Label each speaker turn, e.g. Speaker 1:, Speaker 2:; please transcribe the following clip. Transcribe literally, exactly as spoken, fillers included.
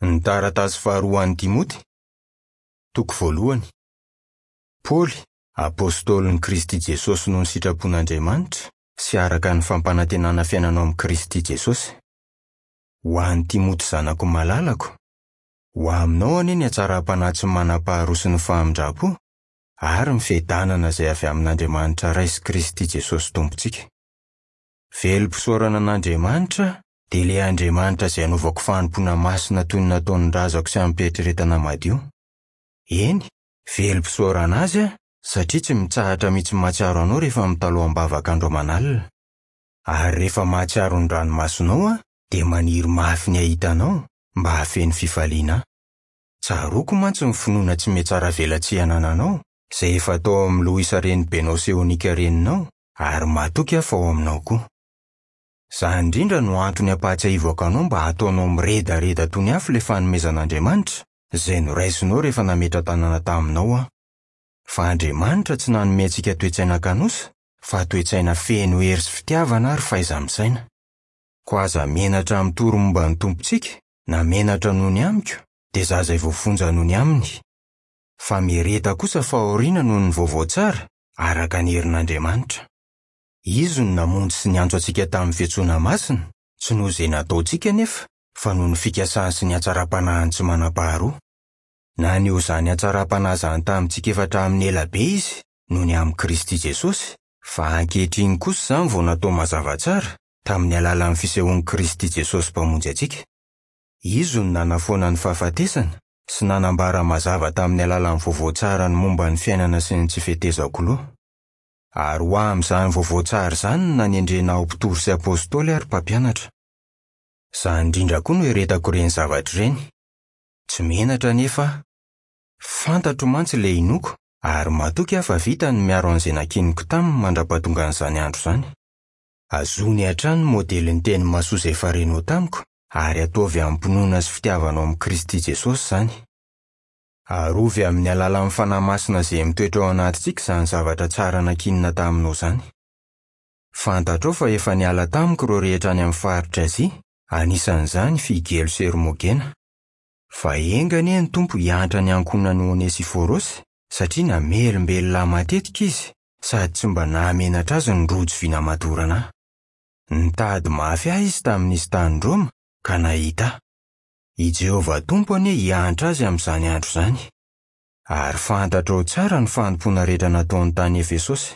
Speaker 1: Ny taratasy faharoa an'i Timoty, toko voalohany. Paoly, apôstôlin'i Kristy Jesosy noho ny sitrapon'Andriamanitra sy araka ny fampanantenana fiainana ao amin'i Kristy Jesosy. Ho an'i Timoty zanako malalako, ho aminao anie ny hatsaram-panahy tsy manam-paharoa sy ny famindram-po ary ny fiadanana izay avy amin'Andriamanitra Ray sy Kristy Jesosy Tompontsika. Velom-pisaorana an'Andriamanitra dia ilay Andriamanitra izay anaovako fanompoana masina toy ny nataon'ny razako sy amim-pieritreretana madio. Eny, velom-pisaorana azy aho satria tsy mitsahatra mihitsy mahatsiaro anao rehefa mitalaho am-bavaka andro aman'alina. Ary rehefa mahatsiaro ny ranomasonao aho dia maniry mafy ny hahita anao mba hahafeno fifaliana ahy. Tsaroako mantsy ny finoana tsy mihatsaravelatsihy anananao izay efa tao amin'ny Loisa renibenao sy Eonika reninao ary matoky aho fa ao aminao koa. Izany indrindra no antony ampahatsiahivako anao mba hataonao miredareda toy ny afo ilay fanomezan'Andriamanitra izay noraisinao rehefa nametra-tanana taminao aho. Fa Andriamanitra tsy nanome antsika toe-tsaina kanosa, fa toe-tsaina feno hery sy fitiavana ary fahaiza-misaina. Koa aza menatra mitory momba ny Tompontsika, na menatra noho ny amiko, dia izaho izay voafonja noho ny aminy. Fa miareta kosa fahoriana noho ny vaovao tsara, araka ny herin'Andriamanitra. Izy no namonjy sy niantso antsika tamin'ny fiantsoana masina, tsy noho izay nataontsika anefa, fa noho ny fikasany sy ny hatsaram-panahiny tsy manam-paharoa. Naneho izany hatsaram-panahy izany tamintsika efa hatramin'ny ela be izy, noho ny amin'i Kristy Jesosy, fa ankehitriny kosa izany vao natao mazava tsara, tamin'ny alalan'ny fisehoan'i Kristy Jesosy Mpamonjy antsika. Izy no nanafoana ny fahafatesana sy nanambara mazava tamin'ny alalan'ny vaovao tsara ny momba ny fiainana sy ny tsy fetezako loha. Ary ho amin'izany vaovao tsara izany no nanendrena aho mpitory sy apôstôly ary mpampianatra. Izany indrindra koa no eretako ireny zavatra ireny. Tsy menatra anefa aho. Fantatro mantsy ilay inoako ary matoky aho fa vita ny miaro an'izay nankiniko taminy mandra-pahatongan'izany andro izany. Azony hatrany ny modelin'ny teny mahasoa izay efa renao tamiko ary ataovy amim-pinoana sy fitiavana ao amin'i Kristy Jesosy izany. Arovy amin'ny alalan'ny Fanahy Masina izay mitoetra ao anatintsika izany zavatra tsara nankinina taminao izany. Fantatrao fa efa niala tamiko ireo rehetra any amin'ny faritra Azia, anisan'izany Figelo sy Hermogena. Fa enga anie ny Tompo hiantra ny ankohonan'i Onesiforosy satria namelombelona ahy matetika izy sady tsy mba nahamenatra azy ny rojo vy namadorana ahy. Nitady mafy ahy izy tamin'izy tany Roma ka nahita ahy. I Jehovah Tompo anie hiantra azy amin'izany andro izany. Ary fantatrao tsara ny fanompoana rehetra nataony tany Efesosy.